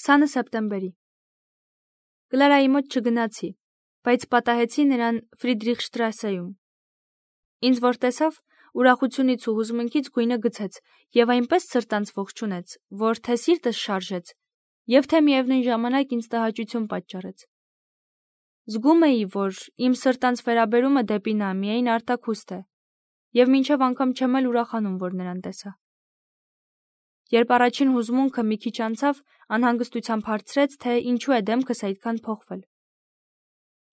20 սեպտեմբերի։ Կլարայի մոտ չգնացի, բայց պատահեցի նրան Ֆրիդրիխշտրասեում։ Ինձ որ տեսավ, ուրախությունից ու հուզմունքից գույնը գցեց եւ այնպես սրտանց ողջունեց, որ թե սիրտս շարժեց, եւ թե միևնույն ժամանակ ինձ տհաճություն պատճառեց։ Զգում էի, որ իմ սրտանց վերաբերումը դեպի նա միայն արտաքուստ է, եւ մինչև անգամ չեմ էլ ուրախանում, որ նրան տեսա։ Երբ առաջին հուզմունքը մի քիչ անցավ, անհանգստությամբ հարցրեց, թե ինչու է դեմքս այդքան փոխվել։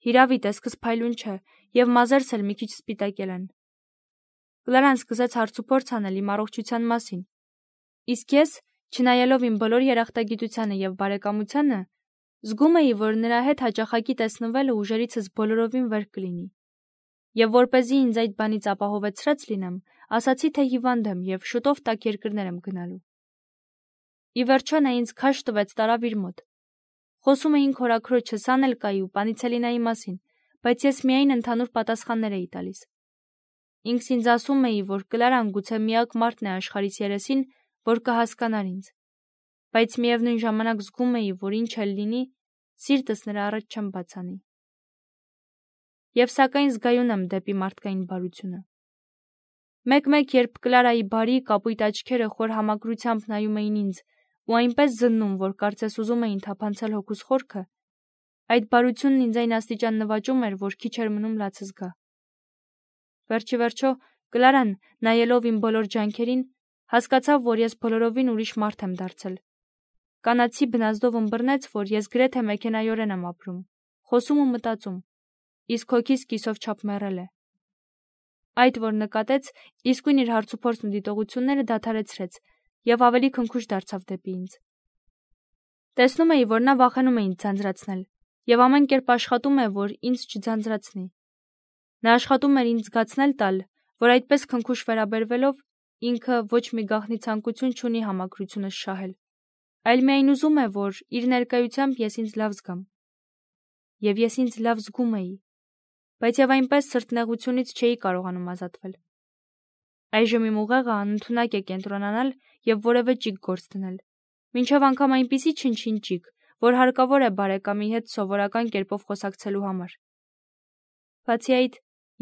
Հիրավի տեսքս փայլուն չէ, եւ մազերս էլ մի քիչ սպիտակել են։ Կլարան սկսեց հարցուփորձ անել իմ առողջության մասին, իսկ ես, չնայելով իմ բոլոր երախտագիտությանը եւ բարեկամությանը, զգում էի, որ նրա հետ հաճախակի տեսնվելը ուժերիցս բոլորովին վեր կլինի։ Եվ որպեսզի ինձ այդ բանից ապահովեցրած լինեմ, ասացի, թե հիվանդ եմ եւ շուտով տաք երկրներ եմ գնալու։ Ի վերջո նա ինձ քաշ տվեց տարավ իր մոտ։ Խոսում էինք հորաքրոջս Անելկայի ու Պանիցելինայի մասին, բայց ես միայն ընդհանուր պատասխաններ էի տալիս։ Ինքս ինձ ասում էի, որ Կլարան գուցե միակ մարդն է աշխարհիս երեսին, որ կհասկանար ինձ, բայց միևնույն ժամանակ զգում էի, որ ինչ էլ լինի, սիրտս նրա առաջ չեմ բացանի։ Եվ սակայն զգայուն եմ դեպի մարդկային բարությունը։ Մեկ-մեկ, երբ Կլարայի բարի կապույտ աչքերը խոր համակրությամբ նայում էին ինձ ու այնպես զննում, որ կարծես ուզում էին թափանցել հոգուս խորքը, այդ բարությունն ինձ այն աստիճան նվաճում էր, որ քիչ էր մնում լացս գա։ Վերջիվերջո, Կլարան, նայելով իմ բոլոր ջանքերին, հասկացավ, որ ես բոլորովին ուրիշ մարդ եմ դարձել։ Կանացի բնազդով ըմբռնեց, որ ես գրեթե մեքենայորեն եմ ապրում, խոսում ու մտածում, իսկ հոգիս կիսով չափ մեռել է։ Այդ, որ նկատեց, իսկույն իր հարցուփորձն ու դիտողությունները դադարեցրեց եւ ավելի քնքուշ դարձավ դեպի ինձ։ Տեսնում էի, որ նա վախենում է ինձ ձանձրացնել եւ ամեն կերպ աշխատում է, որ ինձ չձանձրացնի։ Նա աշխատում էր ինձ զգացնել տալ, որ այդպես քնքուշ վերաբերվելով ինքը ոչ մի գաղտնի ցանկություն չունի համակրությունս շահել, այլ միայն ուզում է, որ իր ներկայությամբ ես ինձ լավ զգամ։ Եվ ես ինձ լավ զգում էի, բայց եւ այնպես սրտնեղությունից չէի կարողանում ազատվել։ Այժմ իմ ուղեղը անընդունակ է կենտրոնանալ եւ որևէ ճիգ գործ դնել, մինչեւ անգամ այնպիսի չնչին ճիգ, որ հարկավոր է բարեկամի հետ սովորական կերպով խոսակցելու համար։ Բացի այդ,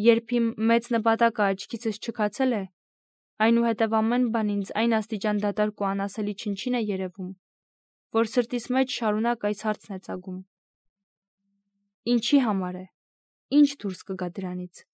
երբ իմ մեծ նպատակը աչքիցս չքացել է, այնուհետև ամեն բան ինձ այն աստիճան դատարկ ու անասելի չնչին է երևում, որ սրտիս մեջ շարունակ այս հարցն է ծագում. ինչի համար է, ինչ դուրս կգա դրանից։